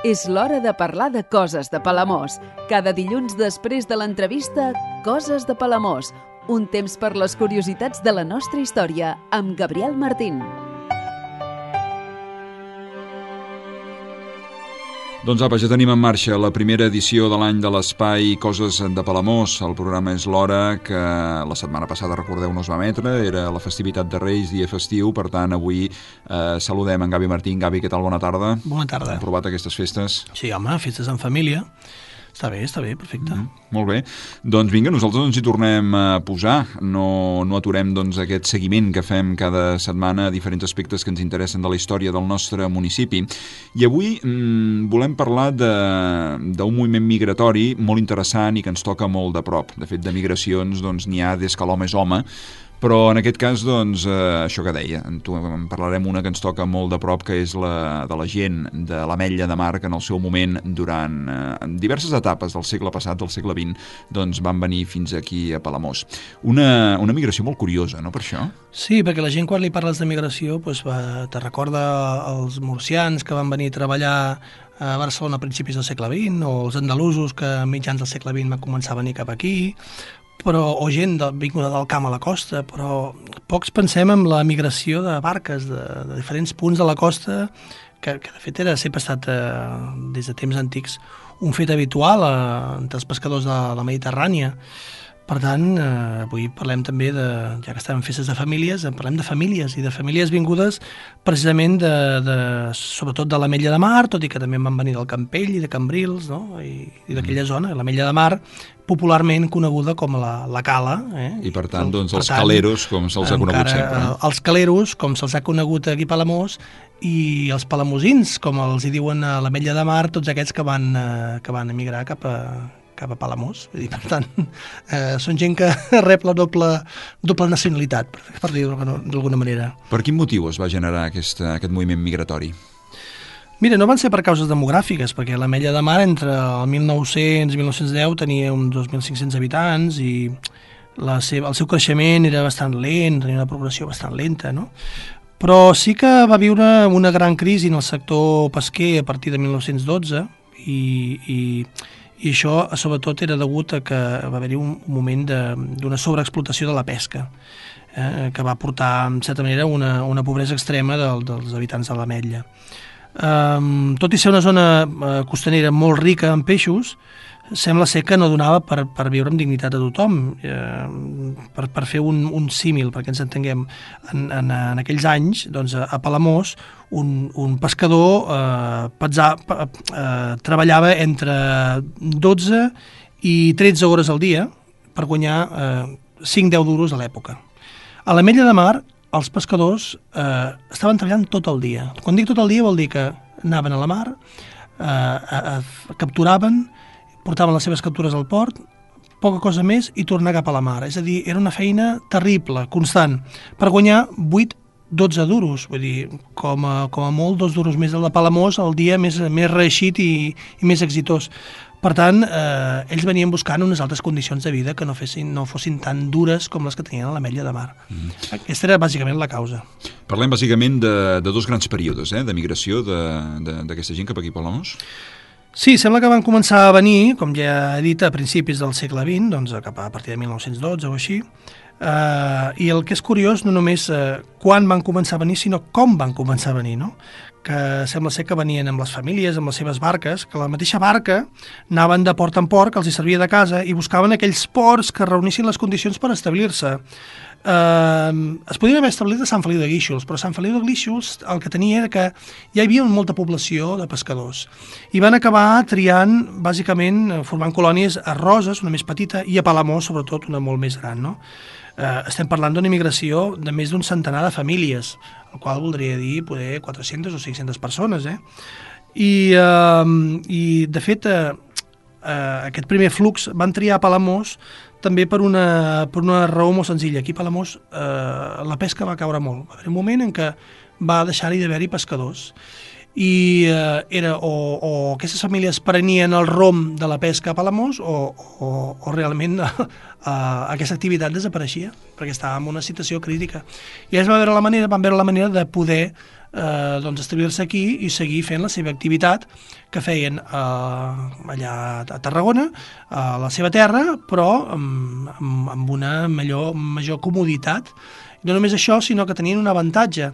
És l'hora de parlar de coses de Palamós. Cada dilluns després de l'entrevista, Coses de Palamós. Un temps per les curiositats de la nostra història, amb Gabriel Martín. Doncs apa, ja tenim en marxa la primera edició de l'any de l'espai Coses de Palamós. El programa és l'hora que la setmana passada, recordeu, no es va emetre. Era la festivitat de Reis, dia festiu. Per tant, avui saludem en Gavi Martín. Gavi, què tal? Bona tarda. Bona tarda. Hem provat aquestes festes? Sí, home, festes en família. Està bé, perfecte. Molt bé. Doncs vinga, nosaltres ens hi tornem a posar. No aturem aquest seguiment que fem cada setmana a diferents aspectes que ens interessen de la història del nostre municipi. I avui volem parlar d'un moviment migratori molt interessant i que ens toca molt de prop. De fet, de migracions n'hi ha des que l'home és home, però en aquest cas, això que deia, en parlarem una que ens toca molt de prop, que és la de la gent de l'Ametlla de Mar, que en el seu moment, durant diverses etapes del segle passat, del segle XX, van venir fins aquí a Palamós. Una migració molt curiosa, no, per això? Sí, perquè la gent, quan li parles de migració, te recorda els murcians que van venir a treballar a Barcelona a principis del segle XX, o els andalusos que a mitjans del segle XX van començar a venir cap aquí, o gent vinguda del camp a la costa, però pocs pensem en la migració de barques de diferents punts de la costa, que de fet sempre ha estat, des de temps antics, un fet habitual entre els pescadors de la Mediterrània. Per tant, avui parlem també ja que estem en festes de famílies, parlem de famílies, i de famílies vingudes precisament sobretot de l'Ametlla de Mar, tot i que també van venir del Campell i de Cambrils, no? I d'aquella zona, l'Ametlla de Mar, popularment coneguda com la Cala. I per tant, els caleros, com se'ls ha conegut sempre. Els caleros, com se'ls ha conegut aquí a Palamós, i els palamosins, com els hi diuen a l'Ametlla de Mar, tots aquests que van emigrar cap a Palamós. Per tant, són gent que rep la doble nacionalitat, per dir-ho d'alguna manera. Per quin motiu es va generar aquest moviment migratori? Mira, no van ser per causes demogràfiques, perquè l'Ametlla de Mar entre el 1900 i 1910 tenia uns 2.500 habitants i el seu creixement era bastant lent, tenia una progressió bastant lenta, no? Però sí que va viure una gran crisi en el sector pesquer a partir de 1912 i això sobretot era degut a que va haver-hi un moment d'una sobreexplotació de la pesca, que va portar, en certa manera, una pobresa extrema dels habitants de l'Ametlla. Tot i ser una zona costanera molt rica en peixos, sembla ser que no donava per viure amb dignitat a tothom. Per fer un símil, perquè ens entenguem, en aquells anys, a Palamós, un pescador treballava entre 12 i 13 hores al dia per guanyar 5-10 duros a l'època. A l'Ametlla de Mar, els pescadors estaven treballant tot el dia. Quan dic tot el dia vol dir que anaven a la mar, capturaven, portaven les seves captures al port, poca cosa més, i tornar cap a la mar. És a dir, era una feina terrible, constant, per guanyar 8-12 duros. Vull dir, com a molt 2 duros més del de Palamós, el dia més reeixit i més exitós. Per tant, ells venien buscant unes altres condicions de vida que no fossin tan dures com les que tenien a l'Ametlla de Mar. Aquesta era bàsicament la causa. Parlem bàsicament de 2 grans períodes de migració d'aquesta gent cap aquí a Palamós. Sí, sembla que van començar a venir, com ja he dit, a principis del segle XX, cap a partir de 1912 o així, i el que és curiós no només quan van començar a venir, sinó com van començar a venir, no? Que sembla ser que venien amb les famílies, amb les seves barques, que la mateixa barca anaven de port en port, que els hi servia de casa, i buscaven aquells ports que reunissin les condicions per establir-se. Es podien haver establit a Sant Feliu de Guíxols, però Sant Feliu de Guíxols el que tenia era que ja hi havia molta població de pescadors i van acabar triant, bàsicament, formant colònies a Roses, una més petita, i a Palamós, sobretot, una molt més gran, no? Estem parlant d'una immigració de més d'un centenar de famílies, el qual voldria dir poder 400 o 500 persones, I de fet, aquest primer flux van triar a Palamós també per una raó molt senzilla. Aquí a Palamós la pesca va caure molt. Va haver un moment en què va deixar-hi d'haver-hi pescadors i era o aquestes famílies prenien el rom de la pesca a Palamós o realment aquesta activitat desapareixia perquè estava en una situació crítica. I ells van veure la manera de poder doncs establir-se aquí i seguir fent la seva activitat que feien allà a Tarragona, a la seva terra, però amb una major comoditat. I no només això, sinó que tenien un avantatge.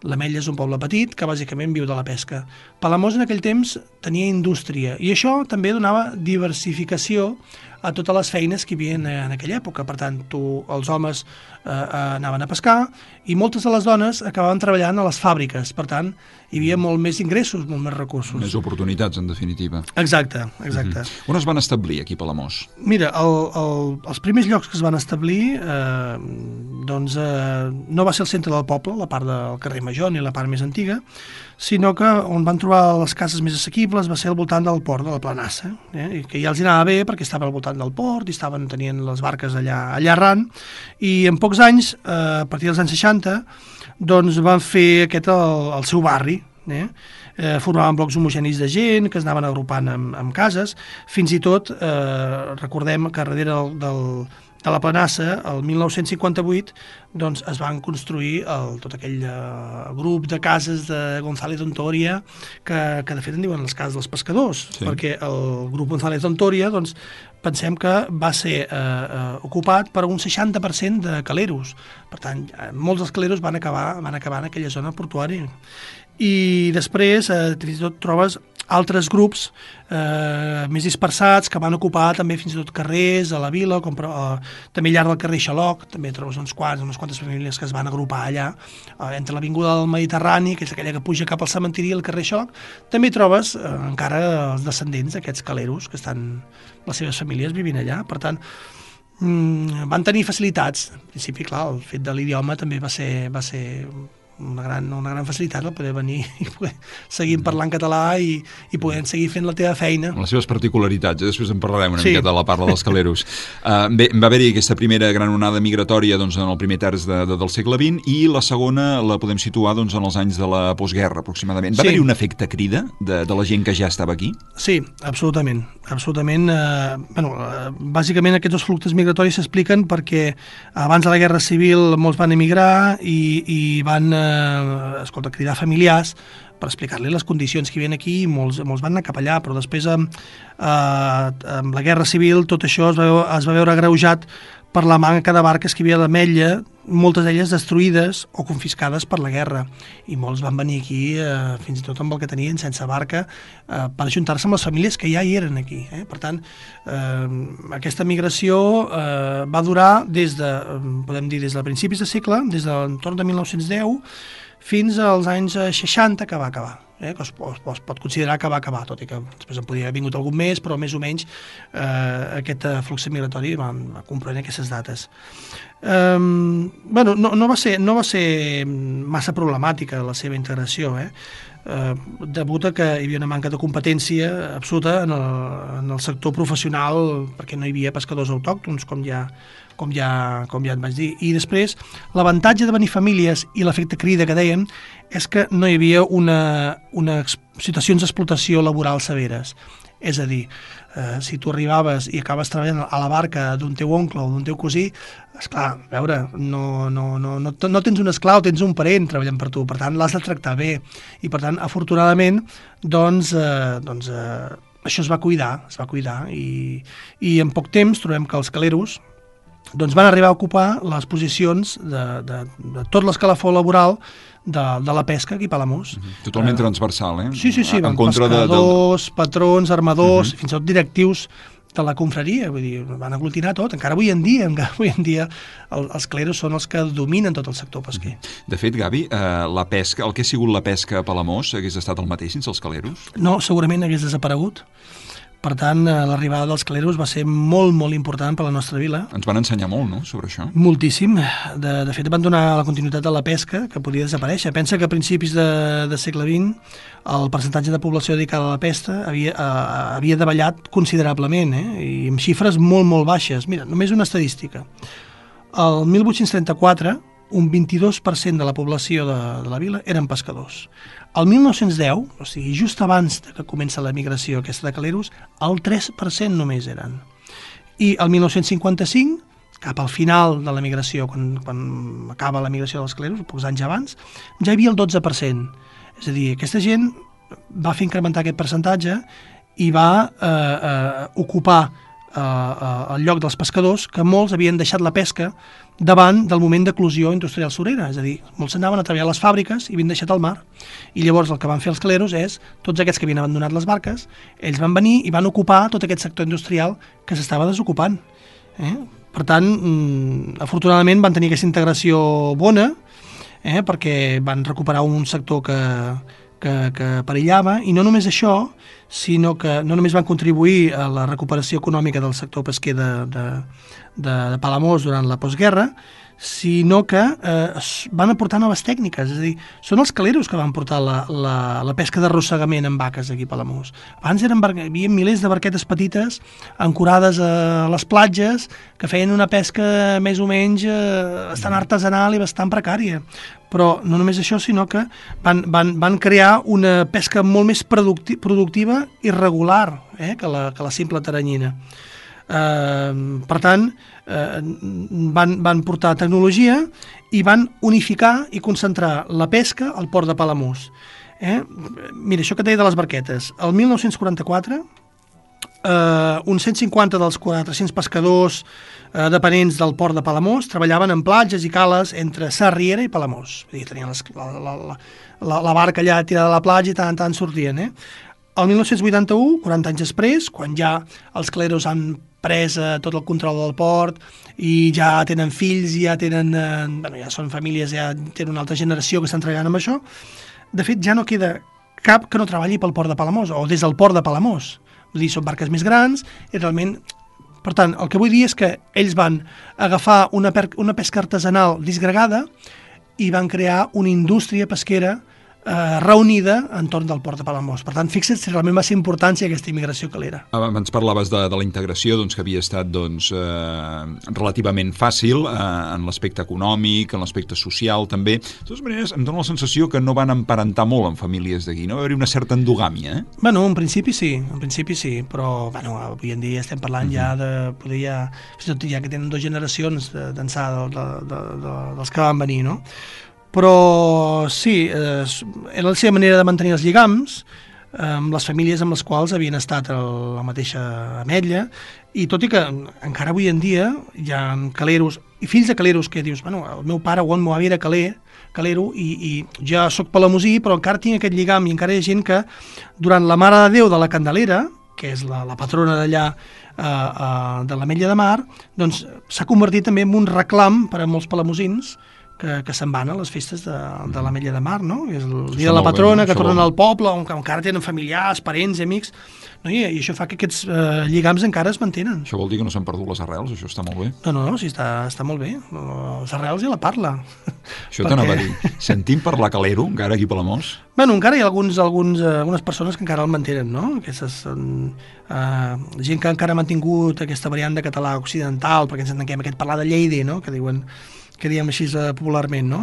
L'Ametlla és un poble petit que bàsicament viu de la pesca. Palamós en aquell temps tenia indústria i això també donava diversificació a totes les feines que hi havia en aquella època. Per tant, els homes anaven a pescar i moltes de les dones acabaven treballant a les fàbriques. Per tant, hi havia molt més ingressos, molt més recursos. Més oportunitats, en definitiva. Exacte. On es van establir aquí a Palamós? Mira, els primers llocs que es van establir no va ser el centre del poble, la part del carrer Major ni la part més antiga, sinó que on van trobar les cases més assequibles va ser al voltant del port de la Planassa, i que ja els anava bé perquè estava al voltant del port i tenien les barques allà arran, i en pocs anys, a partir dels anys 60, doncs van fer el seu barri, formaven blocs homogenis de gent que es anaven agrupant en cases, fins i tot recordem que darrere de la Planassa, el 1958, doncs es van construir tot aquell grup de cases de González d'Ontoria, que de fet en diuen les cases dels pescadors, perquè el grup González d'Ontoria, doncs, pensem que va ser ocupat per un 60% de caleros. Per tant, molts dels caleros van acabar en aquella zona portuària. I després, fins i tot, trobes altres grups més dispersats que van ocupar també fins i tot carrers a la vila, com també llarg del carrer Xaloc, també trobes unes quantes famílies que es van agrupar allà, entre l'avinguda del Mediterrani, que és aquella que puja cap al cementiri, i el carrer Xaloc, també trobes encara els descendents d'aquests caleros, que estan les seves famílies vivint allà. Per tant, van tenir facilitats. En principi, clar, el fet de l'idioma també va ser una gran facilitat el poder venir i poder seguir parlant català i poder seguir fent la teva feina. Amb les seves particularitats, després en parlarem una miqueta de la parla dels caleros. Bé, va haver-hi aquesta primera gran onada migratòria en el primer terç del segle XX i la segona la podem situar en els anys de la postguerra, aproximadament. Va haver-hi un efecte crida de la gent que ja estava aquí? Sí, absolutament. Bàsicament aquests dos fluxos migratoris s'expliquen perquè abans de la Guerra Civil molts van emigrar i van cridar familiars per explicar-li les condicions que hi havia aquí i molts van anar cap allà, però després amb la Guerra Civil tot això es va veure agreujat per la manca de barques que hi havia a l'Ametlla, moltes d'elles destruïdes o confiscades per la guerra, i molts van venir aquí fins i tot amb el que tenien sense barca per ajuntar-se amb les famílies que ja hi eren aquí. Per tant, aquesta migració va durar des de principis de segle, des de l'entorn de 1910 fins als anys 60, que va acabar. Que es pot considerar que va acabar, tot i que després en podia haver vingut algun més, però més o menys aquest flux migratori va comprendre aquestes dates. No va ser massa problemàtica la seva integració, degut a que hi havia una manca de competència absoluta en el sector professional, perquè no hi havia pescadors autòctons, com ja et vaig dir. I després, l'avantatge de venir famílies i l'efecte crida que dèiem és que no hi havia unes situacions d'explotació laboral severes. És a dir, si tu arribaves i acabes treballant a la barca d'un teu oncle o d'un teu cosí, esclar, a veure, no tens un esclau, tens un parent treballant per tu, per tant l'has de tractar bé. I per tant, afortunadament, això es va cuidar i en poc temps trobem que els caleros van arribar a ocupar les posicions de tot l'escalafó laboral de la pesca aquí a Palamós. Totalment transversal, Sí, van pescadors, patrons, armadors, fins i tot directius de la confraria, vull dir, van aglutinar tot. Encara avui en dia els caleros són els que dominen tot el sector pesquer. De fet, Gavi, la pesca, el que ha sigut la pesca a Palamós hagués estat el mateix sense els caleros? No, segurament hagués desaparegut. Per tant, l'arribada dels caleros va ser molt, molt important per a la nostra vila. Ens van ensenyar molt, no?, sobre això. Moltíssim. De fet, van donar la continuïtat de la pesca, que podia desaparèixer. Pensa que a principis de segle XX el percentatge de població dedicada a la pesca havia davallat considerablement, i amb xifres molt, molt baixes. Mira, només una estadística. El 1834, un 22% de la població de la vila eren pescadors. El 1910, o sigui, just abans que comença la migració aquesta de caleros, el 3% només eren. I el 1955, cap al final de la migració, quan acaba la migració dels cleros, pocs anys abans, ja hi havia el 12%. És a dir, aquesta gent va fer incrementar aquest percentatge i va ocupar el lloc dels pescadors, que molts havien deixat la pesca davant del moment d'eclosió industrial surera, és a dir, molts anaven a treballar a les fàbriques i havien deixat el mar, i llavors el que van fer els cleros és, tots aquests que havien abandonat les barques, ells van venir i van ocupar tot aquest sector industrial que s'estava desocupant. Per tant, afortunadament van tenir aquesta integració bona, perquè van recuperar un sector que perillava, i no només això, sinó que no només van contribuir a la recuperació econòmica del sector pesquer de Palamós durant la postguerra, sinó que van aportar noves tècniques, és a dir, són els caleros que van portar la pesca d'arrossegament amb vaques aquí a Palamós. Abans hi havia milers de barquetes petites ancorades a les platges que feien una pesca més o menys bastant artesanal i bastant precària. Però no només això, sinó que van crear una pesca molt més productiva i regular que la simple taranyina. Per tant, van portar tecnologia i van unificar i concentrar la pesca al port de Palamós. Mira, això que et deia de les barquetes. El 1944, uns 150 dels 400 pescadors dependents del port de Palamós treballaven en platges i cales entre Sarriera i Palamós. Tenien la barca allà tirada a la platja i tant sortien. El 1981, 40 anys després, quan ja els cleros han pres tot el control del port i ja tenen fills, ja són famílies, ja tenen una altra generació que estan treballant amb això, de fet ja no queda cap que no treballi pel port de Palamós o des del port de Palamós. Vull dir, són barques més grans i realment... Per tant, el que vull dir és que ells van agafar una pesca artesanal disgregada i van crear una indústria pesquera reunida entorn del port de Palamós. Per tant, fixa't si realment va ser important aquesta immigració calera. Abans parlaves de la integració, que havia estat relativament fàcil en l'aspecte econòmic, en l'aspecte social també. De totes maneres, em dóna la sensació que no van emparentar molt amb famílies d'aquí, no? Va haver-hi una certa endogàmia, Bueno, en principi sí, però avui en dia estem parlant ja de poder ja que tenen 2 generacions d'ençà dels que van venir, no? Però sí, era la seva manera de mantenir els lligams amb les famílies amb les quals havien estat a la mateixa ametlla, i tot i que encara avui en dia hi ha caleros i fills de caleros que dius, el meu pare o el meu avi era calero i ja sóc palamosí, però encara tinc aquest lligam, i encara hi ha gent que durant la Mare de Déu de la Candelera, que és la patrona d'allà de l'Ametlla de Mar, doncs s'ha convertit també en un reclam per a molts palamosins que se'n van a les festes de l'Ametlla de Mar, no? És el dia de la patrona, que tornen al poble, on encara tenen familiars, parents, amics, no? I això fa que aquests lligams encara es mantenen. Això vol dir que no s'han perdut les arrels? Això està molt bé. No, sí, està molt bé. Les arrels ja la parla. Això t'anava a dir. Sentim parlar calero, encara aquí a Palamós? Encara hi ha algunes persones que encara el mantenen, no? Aquestes són gent que encara ha mantingut aquesta variant de català occidental, perquè ens entenguem aquest parlar de Lleida, no? Que diem així popularment, no?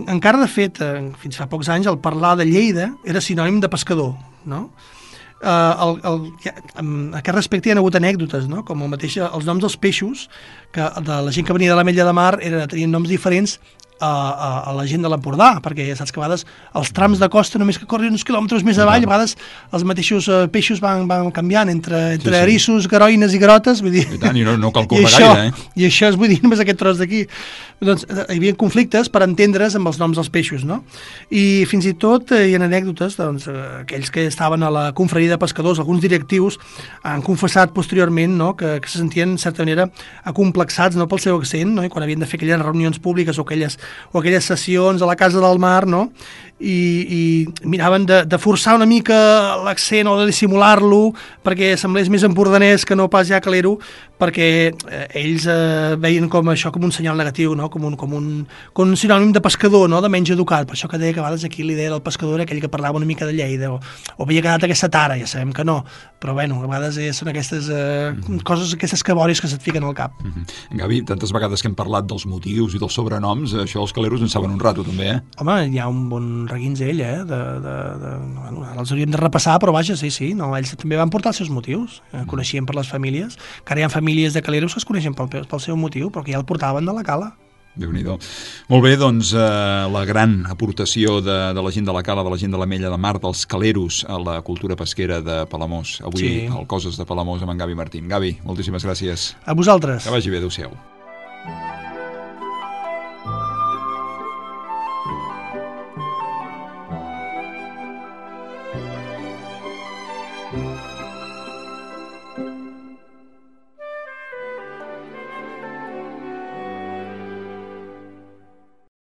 Encara, de fet, fins fa pocs anys, el parlar de Lleida era sinònim de pescador, no? En aquest respecte hi ha hagut anècdotes, no? Com el mateix, els noms dels peixos, que de la gent que venia de l'Ametlla de Mar tenien noms diferents a la gent de l'Empordà, perquè ja saps que a vegades els trams de costa, només que corren uns quilòmetres més avall, a vegades els mateixos peixos van canviant entre erissos, garoines i grotes, vull dir... I tant, i no cal córrer gaire, I això vull dir, només aquest tros d'aquí. Doncs hi havia conflictes per entendre's amb els noms dels peixos, no? I fins i tot hi ha anècdotes, doncs, aquells que estaven a la confraria de pescadors, alguns directius, han confessat posteriorment, no?, que se sentien, en certa manera, acomplexats, no?, pel seu accent, no?, i quan havien de fer aquelles reunions públiques o aquelles sessions a la Casa del Mar, no?, i miraven de forçar una mica l'accent o de dissimular-lo perquè semblés més empordanès que no pas ja calero, perquè ells veien com això com un senyal negatiu, no? com un sinònim de pescador, no? De menys educat. Per això que deia que a vegades aquí l'idea del pescador era aquell que parlava una mica de Lleida o havia quedat aquesta tara, ja sabem que no, però bueno, a vegades són aquestes coses, aquestes cabòries que se't fiquen al cap. Gavi, tantes vegades que hem parlat dels motius i dels sobrenoms, això els caleros en saben un rato també, Home, hi ha un bon reguinzell, bueno, ara els hauríem de repassar, però vaja, sí, no, ells també van portar els seus motius, coneixien per les famílies, que ara hi ha famílies famílies de caleros que es coneixen pel seu motiu, però que ja el portaven de la cala. Déu-n'hi-do. Molt bé, doncs la gran aportació de la gent de la cala, de la gent de l'Ametlla de Mar, dels caleros a la cultura pesquera de Palamós. Avui al Coses de Palamós amb en Gavi Martín. Gavi, moltíssimes gràcies. A vosaltres. Que vagi bé, adéu-siau.